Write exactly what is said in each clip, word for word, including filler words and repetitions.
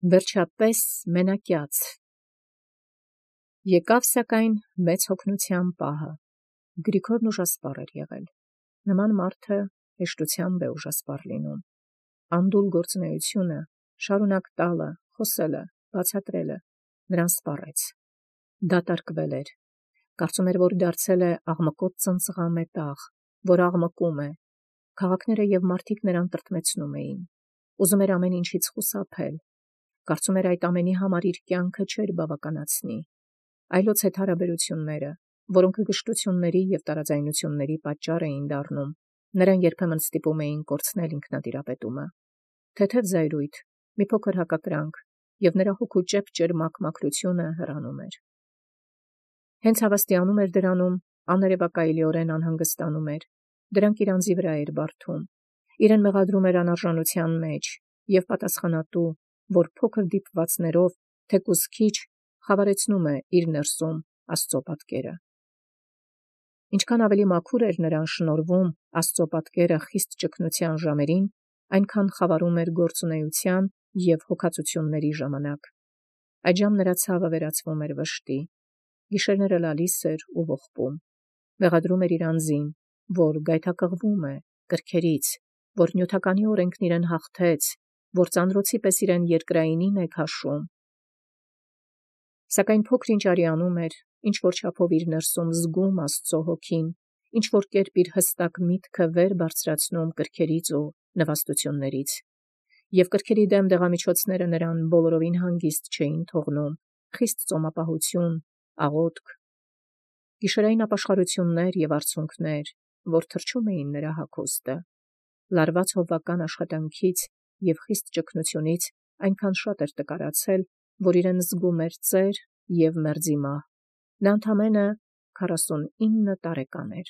Վերջապես մենակյաց։ Եկավ սակայն մեծ հոգնութեան պահը. Գրիգորն ուժասպառ էր եղել. նման մարդը հեշտութեամբ է ուժասպառ լինում. անդուլ գործունեությունը, շարունակ տալը, խոսելը, բացատրելը նրան սպառեց. դատարկվել էր. կարծում էր, որ դարձել է աղմկոտ ծնծղամետաղ, որ աղմկում է. քաղաքները և մարդիկ նրան տրտմեցնում էին. ուզում էր ամեն ինչից խուսափել. կարծում էր այդ ամենի համար իր կյանքը չէր բավականացնի. այլոց հետ հարաբերությունները, որոնք գժտությունների և տարաձայնությունների պատճառ էին դառնում, նրան երբեմն ստիպում էին կորցնել ինքնատիրապետումը. թեթև զայրույթ, մի փոքր հակակրանք, և նրա հոգու ճեպ ճերմակ մաքրությունը հեռանում էր. հենց հավաստիանում էր դրանում, աներևակայելիորեն անհանգստանում էր, դրանք իր անձի վրա էր բարդում, իրեն մեղադրում էր անարժանության մեջ և պատասխանատու, որ փոքր դիպվածներով, թեկուզ քիչ, խավարեցնում է իր ներսում Աստծո պատկերը. ինչքան ավելի մաքուր էր նրան շնորհվում Աստծո պատկերը խիստ ճգնության ժամերին, այնքան խավարում էր գործունեության և հոգածությունների ժամանակ. այդժամ նրա ցավը վերածվում էր վշտի, գիշերները լալիս էր ու ողբում, մեղադրում էր իր անձին, որ գայթակղվում է կրքերից, որ նյութականի օրենքն իրեն հաղթեց, որ ծանրոցի պես իրեն երկրայինին է քաշում. սակայն փոքր ինչ արի անում էր, ինչ-որ չափով իր ներսում զգում Աստծո հոգին, ինչ-որ կերպ իր հստակ միտքը վեր բարձրացնում կրքերից ու նվաստություններից, և կրքերի դեմ դեղամիջոցները նրան բոլորովին հանգիստ չէին թողնում, խիստ ծոմապահություն, աղոթք, գիշերային ապաշխարություններ և արցունքներ, որ թրջում էին նրա հագուստը, լարված հովվական աշխատանքից և խիստ ճգնությունից այնքան շատ էր տկարացել, որ իրեն զգում էր ծեր և մերձի մահ. նա ընդամենը քառասունինը տարեկան էր.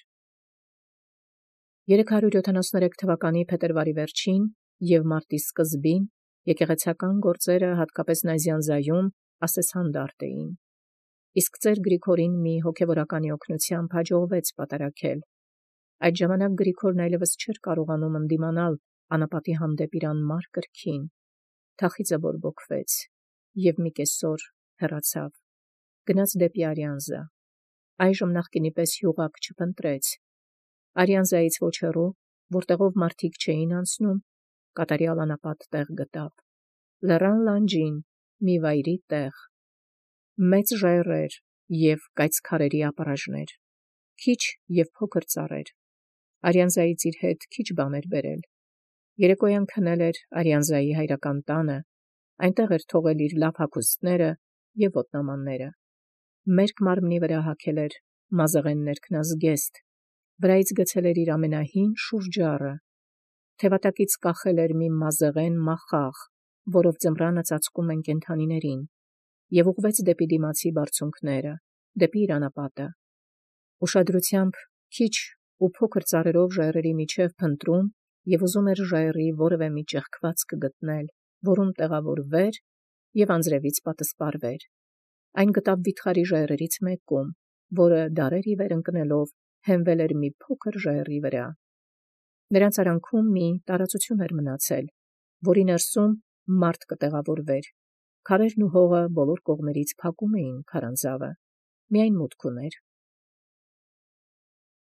երեք հարյուր յոթանասուներեք թվականի փետրվարի վերջին և մարտի սկզբին եկեղեցական գործերը հատկապես Նազյանզայում ասեսհանդարտ էին, իսկ ծեր Գրիգորին մի հոգևորականի օգնությամբ հաջողվեց պատարագել. այդ ժամանակ Գրիգորն այլևս չէր կարողանում ընդդիմանալ անապատի հանդեպ իր անմար կրքին, թախիծը բորբոքվեց և մի կեսօր հեռացավ, գնաց դեպի Արիանզա. այժմ նախկինի պես յուղակ չփնտրեց. Արիանզայից ոչ հեռու, որտեղով մարդիկ չէին անցնում, կատարյալ անապատ տեղ գտավ. լեռան լանջին մի վայրի տեղ, մեծ ժայռեր և կայծ քարերի ապառաժներ, քիչ և փոքր ծառեր. Արիանզայից իր հետ քիչ բան էր բերել. երեկոյան քնել էր Արիանզայի հայրական տանը, այնտեղ էր թողել իր լավ հագուստները և ոտնամանները. մերկ մարմնի վրա հագել էր մազեղեն ներքնազգեստ, վրայից գցել էր իր ամենահին շուրջառը, թևատակից կախել էր մի մազեղեն մախաղ, որով ձմռանը ծածկում են կենդանիներին, և ուղղվեց դեպի դիմացի բարձունքները, դեպի իր անապատը. ուշադրությամբ քիչ ու փոքր ծառերով ժայռերի միջև փնտրում և ուզում էր ժայռի որևէ մի ճեղքվածք գտնել, որում տեղավորվեր և անձրևից պատսպարվեր. այն գտավ վիթխարի ժայռերից մեկում, որը դարեր ի վեր ընկնելով հենվել էր մի փոքր ժայռի վրա. նրանց արանքում մի տարածություն էր մնացել, որի ներսում մարդ կտեղավորվեր. քարերն ու հողը բոլոր կողմերից փակում էին քարանձավը, միայն մուտք ուներ.